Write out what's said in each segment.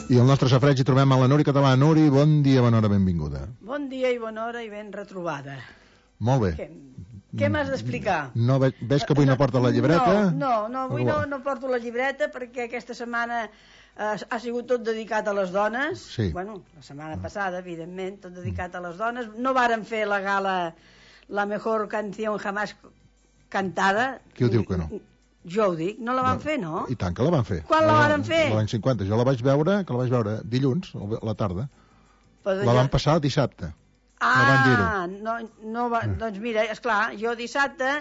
I el nostre safreig hi trobem a la Nuri Català. Nuri, bon dia, bona hora, benvinguda. Bon dia i bona hora i ben retrobada. Molt bé. Què m'has d'explicar? No, veig que avui no porta la llibreta? No, avui no porto la llibreta perquè aquesta setmana ha sigut tot dedicat a les dones. Sí. Bueno, la setmana passada, evidentment, tot dedicat a les dones. No varen fer la gala La mejor canción jamás cantada. Qui ho diu que no? Jo ho dic, no la van fer, no? I tant que la van fer. Quan la varen fer? L'any 50. Jo la vaig veure dilluns, a la tarda. La van passar dissabte. Doncs mira, esclar, jo dissabte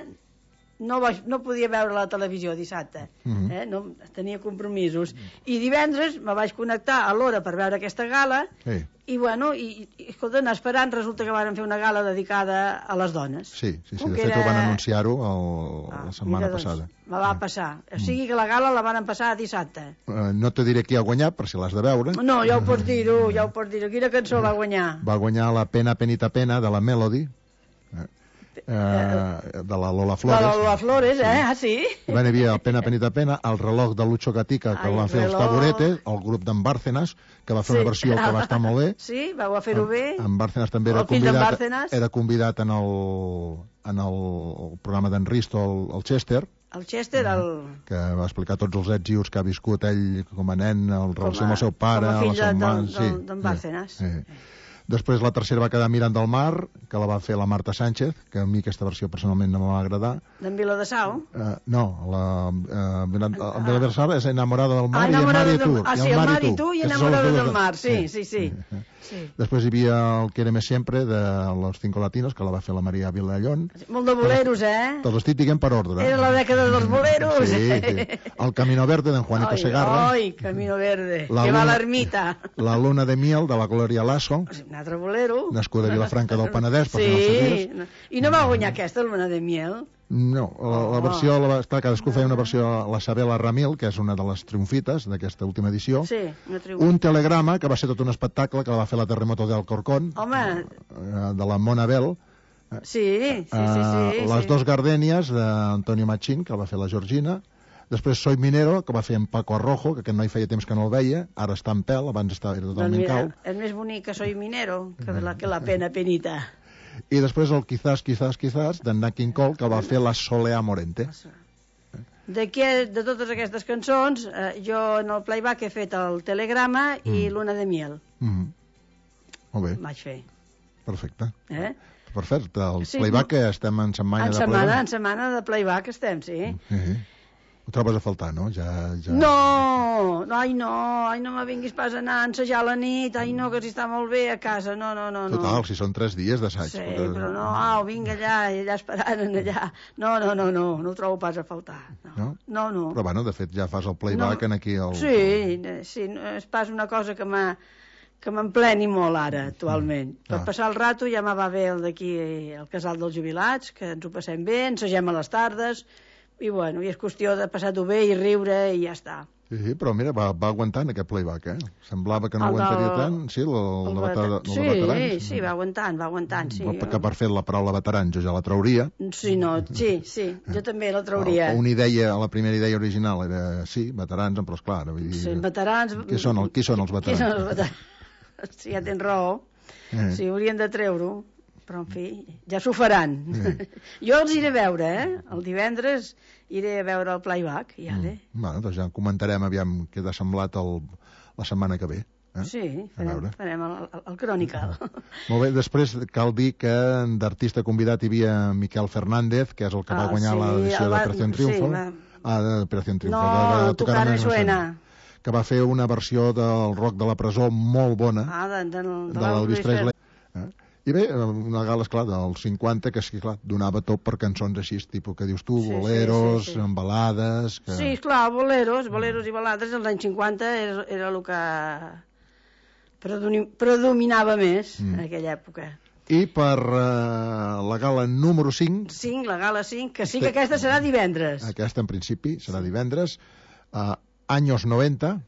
no podia veure la televisió dissabte, no, tenia compromisos, i divendres me vaig connectar a l'hora per veure aquesta gala, i bueno, escolta, anar esperant, resulta que van fer una gala dedicada a les dones. Sí, de fet ho van anunciar-ho la setmana passada. Me va passar, o sigui que la gala la van passar dissabte. No te diré qui ha guanyat, per si l'has de veure. No, ja ho pots dir-ho, quina cançó va guanyar? Va guanyar la Pena, penita, pena, de la Melody, de la Lola Flores. De la Lola Flores, Ah, sí? Hi havia el Pena, penita, pena, el reloj de Lucho Gatica, que el van fer els Taburetes, el grup d'en Bárcenas, que va fer una versió que va estar molt bé. Sí, vau a fer-ho bé. En Bárcenas també era convidat en el programa d'en Risto, el Chester. El Chester, que va explicar tots els èxits i us que ha viscut ell com a nen, el relació amb el seu pare, com a fill d'en Bárcenas. Després la tercera va quedar Mirant del Mar, que la va fer la Marta Sánchez, que a mi aquesta versió personalment no m'va agradar. D'en Viladasau? No, el Viladasau és Enamorada del Mar i El Mar i tu. Sí, El Mar i tu i Enamorada del Mar, sí. Després hi havia el Quéreme Siempre, de Los Cinco Latinos, que la va fer la Maria Vilallón. Molt de boleros, Te'ls estic dient per ordre. Era la dècada dels boleros. Sí. El Camino Verde, d'en Juanito Segarra. Ai, Camino Verde, que va a l'ermita. La Luna de Miel, de la Gloria Lasso. Un altre bolero. Nascuda a Vilafranca del Penedès. Sí, i no va guanyar aquesta, Luna de Miel? No, la versió, cadascú feia una versió, la Sabela Ramil, que és una de les triomfites d'aquesta última edició. Sí, una triomfita. Un telegrama, que va ser tot un espectacle, que la va fer la Terremoto del Corcón. Home! De la Mona Bell. Sí. Les dos gardènies, d'Antonio Machín, que la va fer la Georgina. Després Soy Minero, que va fer en Paco Arrojo, que aquest noi feia temps que no el veia, ara està en pèl, abans era totalment cau. És més bonic que Soy Minero que la Pena Penita. I després el Quizás, d'en Nat King Cole, que va fer la Soleá Morente. De totes aquestes cançons, jo en el playback he fet el telegrama i Luna de Miel. Molt bé. Vaig fer. Perfecte. Perfecte. El playback, estem en setmana de playback? En setmana de playback estem, sí. Ho trobes a faltar, no? No, no me vinguis pas a anar a ensejar a la nit, no, que si està molt bé a casa, no. Total, si són 3 dies d'assaig. Sí, però no, vinga allà, i allà esperant allà. No ho trobo pas a faltar. No. Però bueno, de fet ja fas el playback aquí al... Sí, és pas una cosa que m'empleni molt ara, actualment. Per passar el rato ja me va bé el d'aquí, el casal dels jubilats, que ens ho passem bé, ensegem a les tardes, i bueno, és qüestió de passar-ho bé i riure i ja està. Sí, però mira, va aguantant aquest playback, Semblava que no aguantaria tant. Sí, el de veterans. Sí, va aguantant, sí. Que per fer la paraula veterans jo ja la trauria. Sí, jo també la trauria. Una idea, la primera idea original era, sí, veterans, però esclar... Sí, veterans... Qui són els veterans? Sí, ja tens raó. Sí, haurien de treure-ho. Però, en fi, ja s'ho faran. Jo els iré a veure, El divendres iré a veure el playback, Bueno, doncs ja comentarem aviam què t'ha semblat la setmana que ve. Sí, farem el Crònica. Molt bé, després cal dir que d'artista convidat hi havia Miquel Fernández, que és el que va guanyar l'edició d'Operació Triunfo. d'Operació Triunfo. No, Tocar me suena. Que va fer una versió del rock de la presó molt bona, de l'Elvis Presley. I bé, una gala, esclar, dels 50, que sí, clar, donava tot per cançons així, tipus que dius tu, boleros, balades... Sí, esclar, boleros i balades, als anys 50 era el que predominava més en aquella època. I per la gala número 5... La gala 5, que sí que aquesta serà divendres. Aquesta, en principi, serà divendres. Años 90.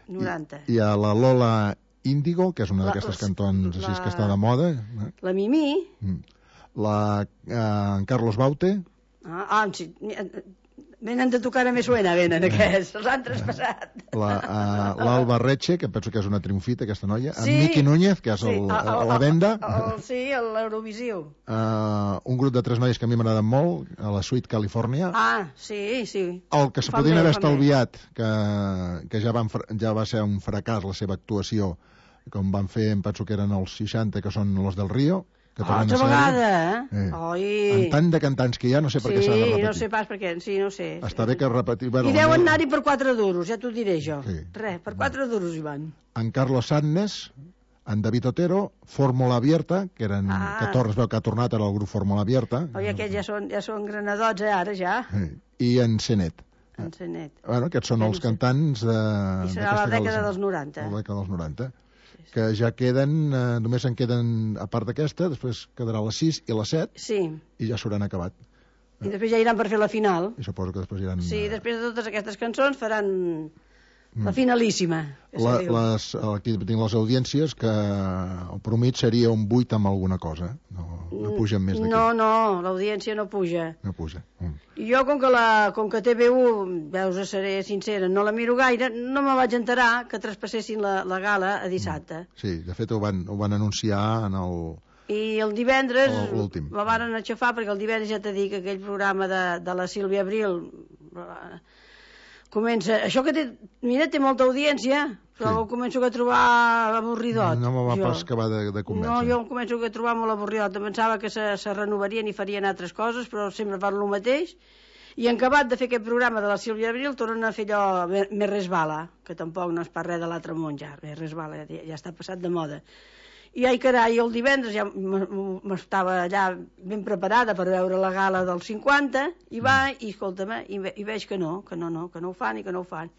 90. I a la Lola Índigo, que és una d'aquestes cantons així que està de moda. La Mimí. En Carlos Baute. Sí. Venen de tocar a més suena, venen aquests, els han traspassat. L'Alba Reche, que penso que és una triomfita, aquesta noia, en Miqui Núñez, que és la venda. Sí, l'Eurovisiu. Un grup de 3 noies que a mi m'agraden molt, a la Sweet California. Sí. El que se podien haver estalviat, que ja va ser un fracàs la seva actuació, com van fer, em penso que eren els 60, que són los del Rio, que tornen altra vegada, amb tant de cantants que hi ha, no sé per què s'ha de repetir. Sí, no sé pas per què, no sé. Està bé que repetir... I deuen anar-hi per 4 duros, ja t'ho diré jo. Res, per 4 duros hi van. En Carlos Sadness, en David Otero, Fórmula Abierta, que eren 14, es veu que ha tornat ara el grup Fórmula Abierta. Oi, aquests ja són granadots, ara ja. I en Cenet. Bueno, aquests són els cantants de... I serà la dècada dels 90. La dècada dels 90. Que ja queden, només en queden, a part d'aquesta, després quedarà la 6 i la 7, i ja s'hauran acabat. I després ja iran per fer la final. I suposo que després iran... Sí, després de totes aquestes cançons faran la finalíssima. Aquí tinc les audiències, que el promit seria un 8 amb alguna cosa. No pugen més d'aquí. No, l'audiència no puja. No puja. I jo, com que TV1, veus, seré sincera, no la miro gaire, no me vaig enterar que traspassessin la gala a dissabte. Sí, de fet ho van anunciar en el... I el divendres la varen aixafar, perquè el divendres ja t'he dit que aquell programa de la Sílvia Abril comença... Això que té molta audiència, però ho començo a trobar avorridot. No me va pas acabar de convèncer. No, jo em començo a trobar molt avorridot. Pensava que se renovarien i farien altres coses, però sempre fan el mateix. I en acabat de fer aquest programa de la Sílvia Abril tornen a fer allò més resbala, que tampoc no és pas res de l'altre món ja, més resbala, ja està passat de moda. I ai carai, el divendres ja m'estava allà ben preparada per veure la gala del 50, i escolta'm, i veig que no ho fan i que no ho fan.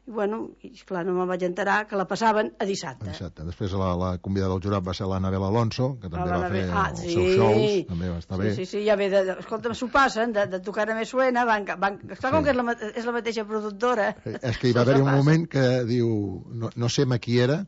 I bueno, esclar, no me'n vaig enterar que la passaven a dissabte. Després la convidada del jurat va ser l'Anabel Alonso, que també va fer els seus shows, també va estar bé. Sí, ja ve escolta'm, s'ho passen, de tocar a més suena, esclar, com que és la mateixa productora. És que hi va haver un moment que diu, no sé qui era,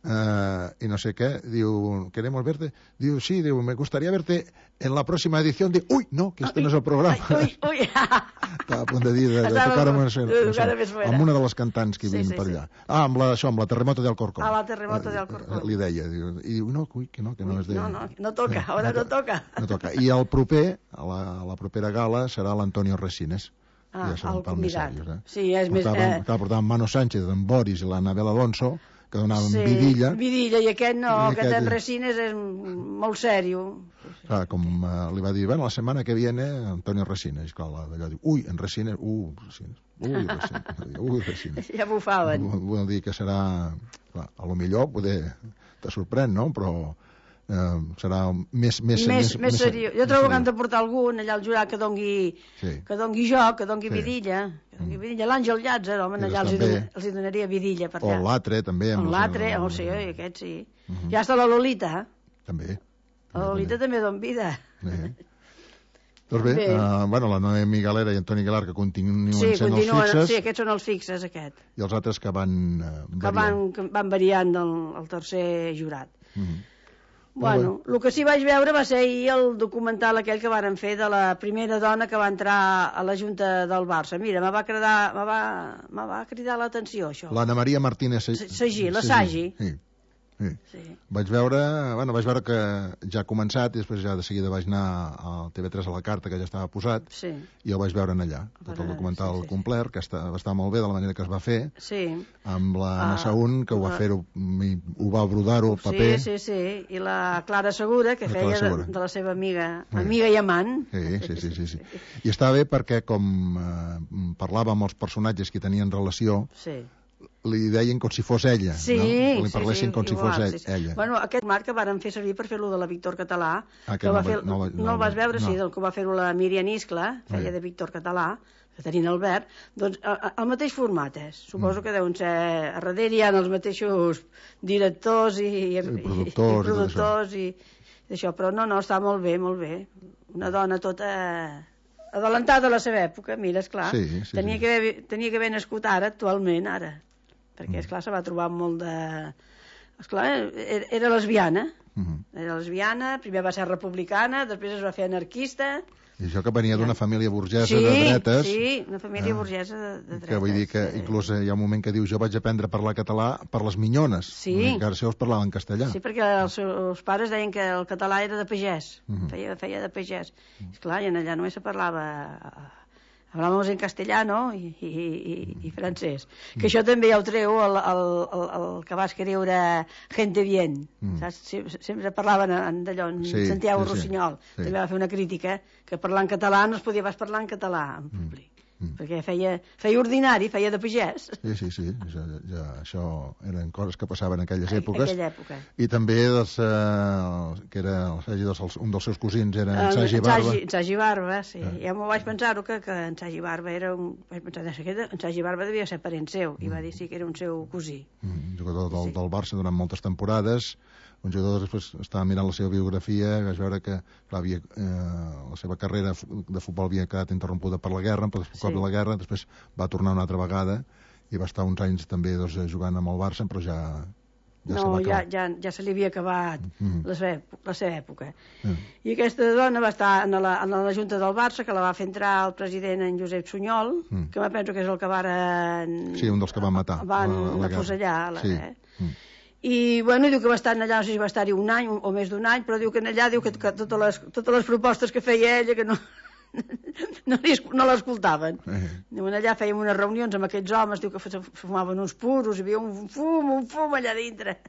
y no sé qué, digo, queremos verte, digo, sí, digo, me gustaría verte en la próxima edición, digo, uy, no, que este no és el programa. Estava a punt de dir, de tocar amb una de les cantants que hi havia per allà. Amb la Terremoto de Alcorcón. La Terremoto de Alcorcón. Li deia, i diu, no, que no és de... No toca, ara no toca. No toca. I el proper, la propera gala, serà l'Antonio Resines. El convidat. Sí, és més... Portaven Mano Sánchez, en Boris i l'Anabel Alonso, que donaven vidilla. Vidilla, i aquest no, aquest en Resines és molt sèrio. Clar, com li va dir, bueno, la setmana que viene Antonio Resines, clar, d'allò diu, ui, en Resines, Resines. Ja bufaven. Vol dir que serà, clar, a lo millor poder te sorprèn, no?, però serà més seriós. Jo trobo que han de portar algun allà al jurat que dongui joc, que dongui vidilla. L'Àngel Llàtzer, home, allà els hi donaria vidilla per allà. O l'Atre, també. L'Atre, sí, aquest sí. Ja està la Lolita. També. La Lolita també don vida. Doncs bé, la Noemi Galera i Antoni Aguilar, que continuen sent els fixes. Sí, aquests són els fixes, aquest. I els altres que van variant. Que van variant el tercer jurat. Bueno, el que sí vaig veure va ser ahir el documental aquell que varen fer de la primera dona que va entrar a la Junta del Barça. Mira, me va cridar l'atenció, això. L'Anna Maria Martínez Sagí, la Sagí. Sí. Vaig veure que ja ha començat i després ja de seguida vaig anar a TV3 a la carta, que ja estava posat, i el vaig veure allà, tot el documental complet, que va estar molt bé de la manera que es va fer, amb la Anna Saún, que ho va brodar-ho al paper. Sí, i la Clara Segura, que feia de la seva amiga i amant. Sí. I estava bé perquè, com parlava amb els personatges que tenien relació, li deien com si fos ella, li parlessin com si fos ella. Bueno, aquest marc que varen fer servir per fer-lo de la Víctor Català, que no el vas veure, sí, que va fer-ho la Míriam Iscla, feia de Víctor Català, que tenien Albert, doncs el mateix format és. Suposo que deuen ser, a darrere hi ha els mateixos directors i productors i d'això, però no, està molt bé. Una dona tota adelantada a la seva època, mira, esclar, tenia que haver nascut actualment, perquè, esclar, se va trobar molt de... Esclar, era lesbiana. Era lesbiana, primer va ser republicana, després es va fer anarquista. I això que venia d'una família burgesa de dretes. Sí, una família burgesa de dretes. Que vull dir que inclús hi ha un moment que diu jo vaig aprendre a parlar català per les minyones. Sí. Encara si els parlaven castellà. Sí, perquè els seus pares deien que el català era de pagès. Feia de pagès. Esclar, i allà només se parlava... Hablamos en castellano i francès. Que això també ja ho treu el que va escriure Gente Bien. Sempre parlaven d'allò, en Santiago Rossinyol. També va fer una crítica que parlar en català no es podia pas parlar en català en públic. Perquè feia ordinari, feia de pagès. Sí. Això eren coses que passaven en aquelles èpoques. Aquella època. I també que era un dels seus cosins era en Sagi Barba. En Sagi Barba, sí. Ja m'ho vaig pensar-ho, que en Sagi Barba era un... Vaig pensar, en Sagi Barba devia ser parent seu, i va dir sí que era un seu cosí. Jugador del Barça durant moltes temporades. Un jugador, després estava mirant la seva biografia i vaig veure que la seva carrera de futbol havia quedat interrompuda per la guerra, per cop de la guerra, després va tornar una altra vegada i va estar uns anys també jugant amb el Barça, però ja se li havia acabat la seva època. I aquesta dona va estar en la Junta del Barça, que la va fer entrar el president en Josep Sunyol, que me penso que és el que Sí, un dels que van matar. Van afusellar. I, bueno, diu que va estar allà, no sé si va estar-hi un any o més d'un any, però diu que allà diu que totes les propostes que feia ella que no l'escoltaven. Allà fèiem unes reunions amb aquests homes, diu que fumaven uns puros, hi havia un fum allà dintre.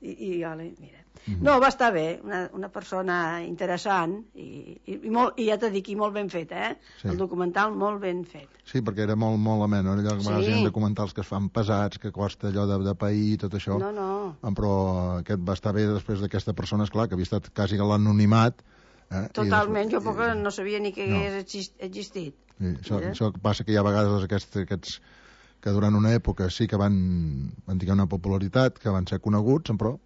I mira. No, va estar bé, una persona interessant i ja t'he dit, molt ben fet, el documental molt ben fet. Sí, perquè era molt amè, no? Allò que a vegades hi ha documentals que es fan pesats, que costa allò de pair i tot això. No. Però aquest va estar bé després d'aquesta persona, esclar, que havia estat quasi a l'anonimat. Totalment, jo no sabia ni que hagués existit. Això passa que hi ha vegades aquests que durant una època sí que van tenir una popularitat, que van ser coneguts, però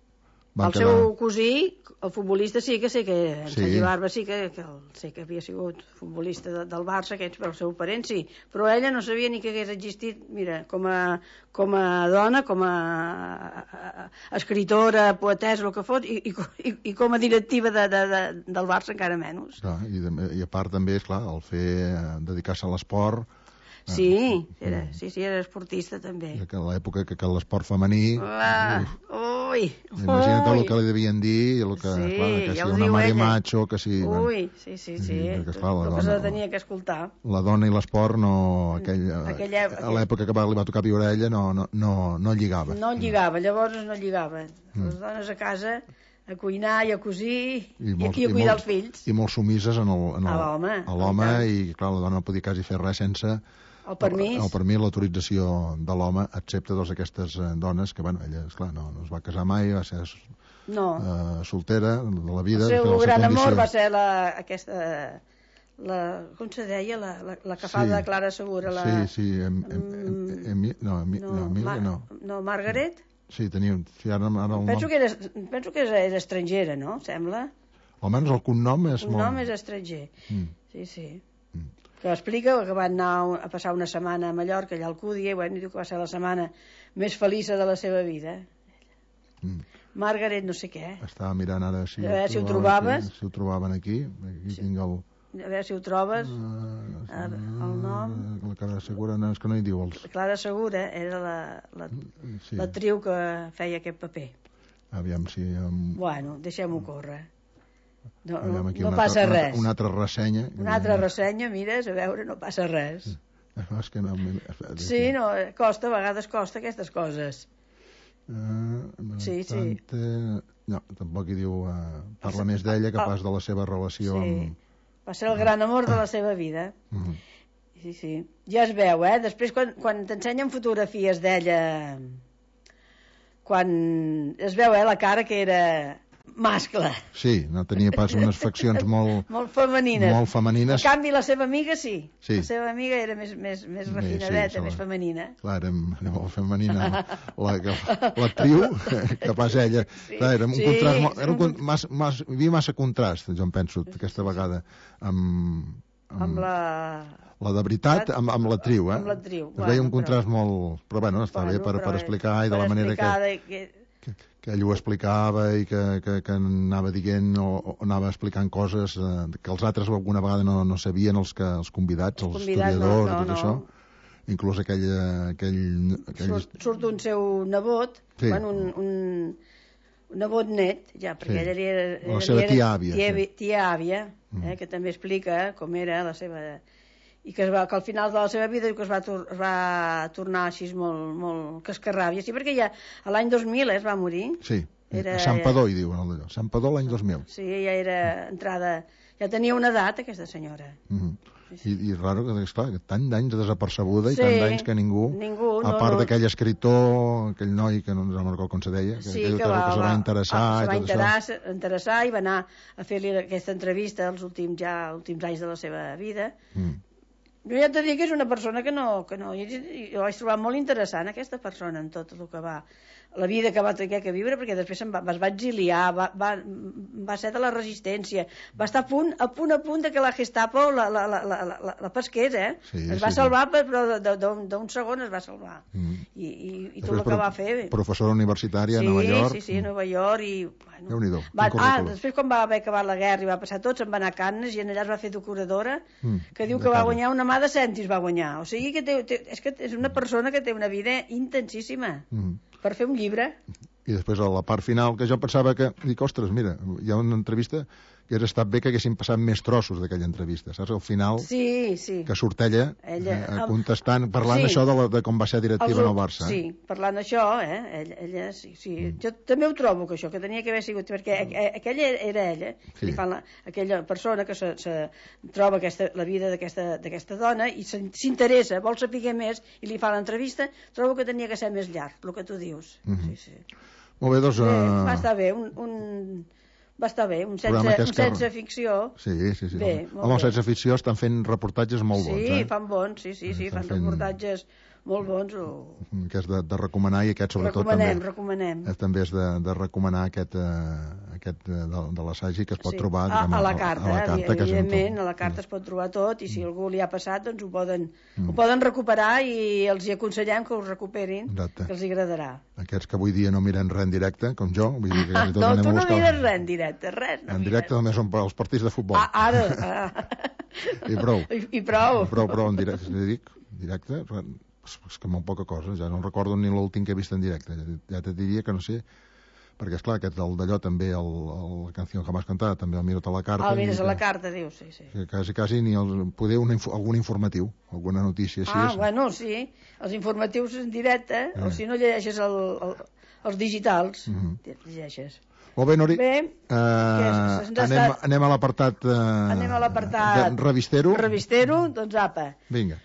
el seu cosí, el futbolista, sí que sé que en Sergi Barba sí que sé que havia sigut futbolista del Barça, però el seu parent sí, però ella no sabia ni que hagués existit, mira, com a dona, com a escritora, poetessa, el que fos, i com a directiva del Barça encara menys. I a part també, esclar, el dedicar-se a l'esport. Sí, era esportista també. Que a l'època que l'esport femení... Imagina't el que li devien dir, que si una Mari Macho, que si... Sí. El que se tenia que escoltar. La dona i l'esport a l'època que li va tocar viure a ella no lligava. No lligava, llavors no lligava. Les dones a casa a cuinar i a cosir i a cuidar els fills. I molt sumises a l'home i clar, la dona no podia quasi fer res sense el permís, l'autorització de l'home, excepte aquestes dones que, ella, esclar, no es va casar mai, va ser soltera de la vida. El seu gran amor va ser aquesta, com se deia, la que fa de Clara Segura. No, Margaret? Sí, tenia... Penso que era estrangera, no? Sembla. Almenys el cognom és molt... El nom és estranger, sí. Que explica que van anar a passar una setmana a Mallorca, allà al Cúdia, i diu que va ser la setmana més feliça de la seva vida. Margaret no sé què. Estava mirant ara si ho trobaves. Si ho trobaven aquí. Tinc el... A veure si ho trobes. El nom... La Clara Segura, és que no hi diu els... La Clara Segura era l'actriu que feia aquest paper. Aviam si... Bueno, deixem-ho córrer. No passa res. Una altra ressenya. Una altra ressenya, mires, a veure, no passa res. És que no... Sí, no, costa, a vegades costa aquestes coses. Sí. No, tampoc hi diu... Parla més d'ella que pas de la seva relació amb... Va ser el gran amor de la seva vida. Sí. Ja es veu, Després, quan t'ensenyen fotografies d'ella... Quan es veu, la cara que era... mascle. Sí, no tenia pas unes faccions molt femenines. Molt femenines. En canvi, la seva amiga sí. La seva amiga era més refinadeta, més femenina. Clar, era molt femenina. L'actriu, que pas ella. Clar, era un contrast... Hi havia massa contrast, jo em penso, aquesta vegada, amb la de veritat, amb l'actriu, Amb l'actriu. Es veia un contrast molt... Però, bueno, està bé per explicar i de la manera que que ell ho explicava i que anava dient o anava explicant coses que els altres alguna vegada no sabien, els convidats, els historiadors, tot això. Inclús aquell... Surt un seu nebot, un nebot net, ja, perquè ell era... La seva tia àvia. Tia àvia, que també explica com era la seva... I que al final de la seva vida diu que es va tornar així molt cascarràbia. Sí, perquè ja l'any 2000 es va morir. Sí, a Santpedor hi diuen allò. Santpedor l'any 2000. Sí, ja era entrada... Ja tenia una edat, aquesta senyora. I raro que, esclar, tant d'anys desapercebuda i tant d'anys que ningú a part d'aquell escriptor, aquell noi que no ens recordo com se deia, que se va interessar i va anar a fer-li aquesta entrevista els últims anys de la seva vida. Jo ja t'he dit que és una persona que no... Jo vaig trobar molt interessant aquesta persona en tot el que va... La vida que va tenir que viure, perquè després es va exiliar, va ser de la resistència, va estar a punt que la Gestapo la pesqués, es va salvar, però d'un segon es va salvar. I tot el que va fer... Professora universitària a Nova York. Sí, a Nova York i... Déu-n'hi-do. Després quan va haver acabat la guerra i va passar tot, se'n va anar a Cannes i allà es va fer decoradora, que diu que va guanyar una mà de cèntims, va guanyar. O sigui que és una persona que té una vida intensíssima per fer un llibre. I després a la part final, que jo pensava que... Dic, ostres, mira, hi ha una entrevista que hauria estat bé que haguessin passat més trossos d'aquella entrevista, saps? Al final, que surt ella contestant, parlant això de com va ser directiva en el Barça. Sí, parlant d'això, ella sí. Jo també ho trobo, que això, que tenia que haver sigut, perquè aquella era ella, aquella persona que se troba la vida d'aquesta dona i s'interessa, vol saber més i li fa l'entrevista, trobo que tenia que ser més llarg, el que tu dius. Molt bé, doncs... Va estar bé, va estar bé, un sense ficció. Sí. Home, sense ficció estan fent reportatges molt bons. Sí, fan bons, fan reportatges molt bons. Que és de recomanar, i aquest sobretot recomanem. També és de recomanar aquest de l'assaig que es pot trobar a la carta, evidentment, a la carta es pot trobar tot, i si algú li ha passat, doncs ho poden recuperar, i els hi aconsellem que ho recuperin, que els hi agradarà. Aquests que avui dia no miren res en directe, com jo. No, tu no mires res en directe, res. En directe només són els partits de futbol. Ara. I prou. Però en directe, és que molt poca cosa. Ja no recordo ni l'últim que he vist en directe. Ja te diria que no sé, perquè esclar, aquest d'allò també, la canció que m'has cantat, també el Mires a la carta. El Mires a la carta, dius, sí. Quasi ni poder algun informatiu, alguna notícia així. Bueno, sí, els informatius en directe, o si no llegeixes els digitals, llegeixes. Molt bé, Nori. Anem a l'apartat revistero. Revistero, doncs apa. Vinga.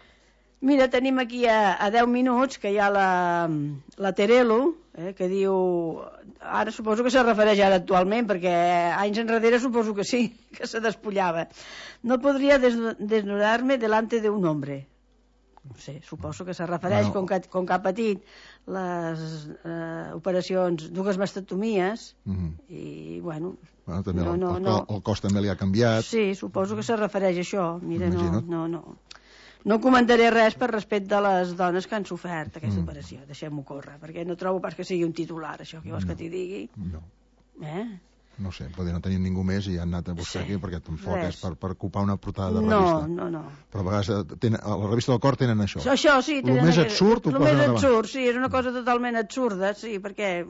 Mira, tenim aquí a 10 minuts que hi ha la Terelu, que diu... Ara suposo que se refereix ara actualment, perquè anys enrere suposo que sí, que se despullava. No podria desnudar-me delante de un hombre. No sé, suposo que se refereix, com que ha patit les operacions, dues mastectomies, i bueno... El cos també li ha canviat. Sí, suposo que se refereix a això. Mira, no comentaré res per respecte de les dones que han sofert aquesta operació. Deixem-ho córrer, perquè no trobo pas que sigui un titular, això. Què vols que t'hi digui? No. No sé, potser no tenim ningú més i han anat a buscar aquí, perquè tampoc és per ocupar una portada de revista. No. Però a vegades a la revista del Cor tenen això. Això, sí. El més absurd ho posen davant. Sí, és una cosa totalment absurda, sí, perquè...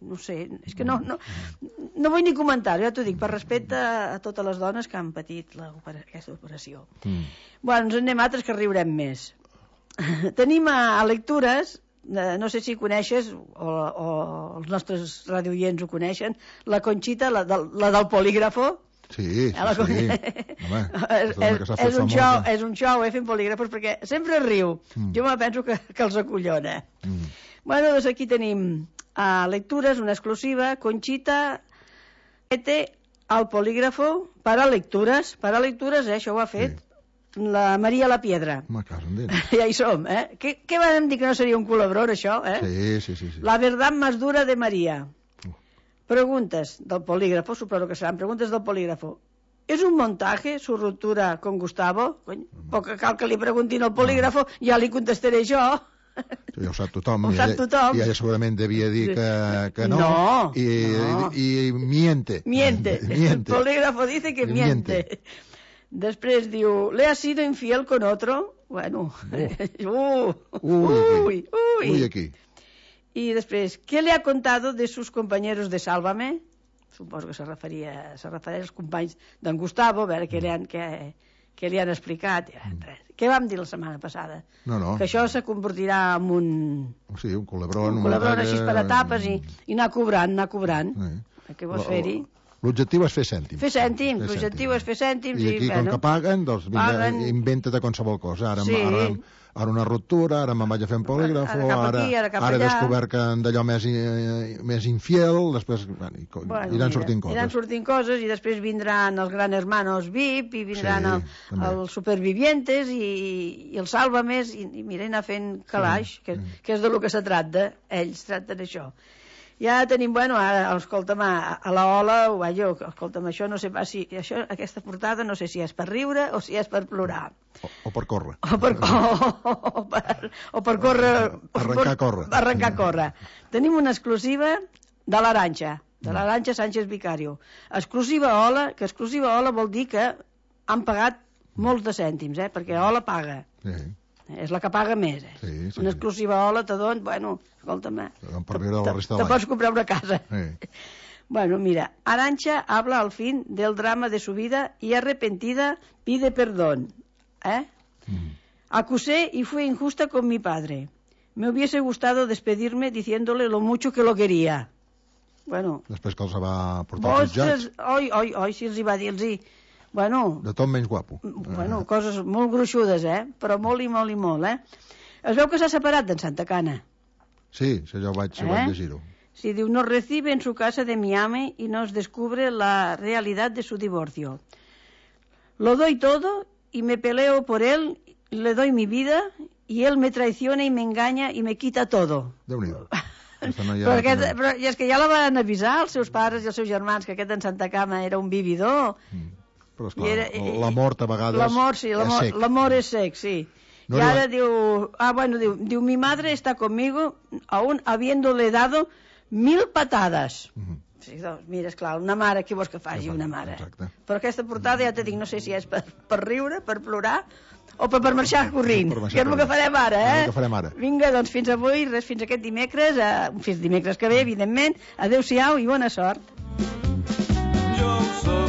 No sé, és que no vull ni comentar-ho, ja t'ho dic, per respecte a totes les dones que han patit aquesta operació. Bueno, ens anem altres que riurem més. Tenim a lectures, no sé si coneixes, o els nostres radioients ho coneixen, la Conxita, la del polígrafo. Sí. Home, és un xou, fent polígrafos, perquè sempre riu. Jo me penso que els acollona. Bueno, doncs aquí tenim a lectures, una exclusiva, Conxita al polígrafo para lectures, això ho ha fet la Maria La Piedra. Ja hi som, Què vam dir que no seria un culebrón, això, Sí. La verdad más dura de María. Preguntes del polígrafo, suposo que seran preguntes del polígrafo. ¿Es un montaje su ruptura con Gustavo? Poc cal que li preguntin al polígrafo, ja li contestaré jo. Ja ho sap tothom. Ho sap tothom. I ella segurament devia dir que no. No. I miente. Miente. El polígrafo dice que miente. Després diu, ¿le has sido infiel con otro? Bueno. Uy, aquí. Y después, ¿qué le ha contado de sus compañeros de Sálvame? Suposo que se referia als companys d'en Gustavo, a veure què li han explicat. Què vam dir la setmana passada? No. Que això se convertirà en un... Sí, un culebron. Un culebron així per etapes i anar cobrant. Què vols fer-hi? L'objectiu és fer cèntims. L'objectiu és fer cèntims. I aquí, com que paguen, doncs inventa-te qualsevol cosa. Ara una ruptura, ara me'n vaig a fer un polígrafo, ara he descobert que d'allò més infiel, després iran sortint coses. Iran sortint coses i després vindran els Gran Hermanos VIP i vindran els Supervivientes i els Sálvames i miren a fent calaix, que és de lo que se tracta. Ells tracten això. Ja tenim, ara, escolta'm, a la Ola, escolta'm, això no sé pas si... Aquesta portada no sé si és per riure o si és per plorar. O per córrer. O per córrer... Arrencar a córrer. Tenim una exclusiva de l'Arantxa, Sánchez Vicario. Exclusiva Ola, que exclusiva Ola vol dir que han pagat molts de cèntims, perquè Ola paga. Sí. És la que paga més. Una exclusiva Ola te don, escolta'm, te pots comprar una casa. Mira, Arantxa habla al fin del drama de su vida y arrepentida pide perdón. Acusé y fui injusta con mi padre. Me hubiese gustado despedirme diciéndole lo mucho que lo quería. Després que els va portar als jutjats. Oi, si els hi va dir, de tot menys guapo. Coses molt gruixudes, però molt i molt. Es veu que s'ha separat d'en Santa Cana. Sí, jo vaig llegir-ho. Sí, diu, nos recibe en su casa de Miami y nos descubre la realidad de su divorcio. Lo doy todo y me peleo por él, le doy mi vida y él me traiciona y me engaña y me quita todo. Déu-n'hi-do. Però és que ja la van avisar els seus pares i els seus germans que aquest en Santa Cama era un vividor. Però esclar, l'amor a vegades és sec. L'amor és sec, sí. Y ahora diu, mi madre está conmigo aún habiéndole dado 1000 patadas. Sí, doncs, mira, esclar, una mare, què vols que faci una mare? Però aquesta portada, ja te dic, no sé si és per riure, per plorar o per marxar corrint, que és el que farem ara, Vinga, doncs fins avui, fins aquest dimecres, fins dimecres que ve, evidentment. Adéu-siau i bona sort.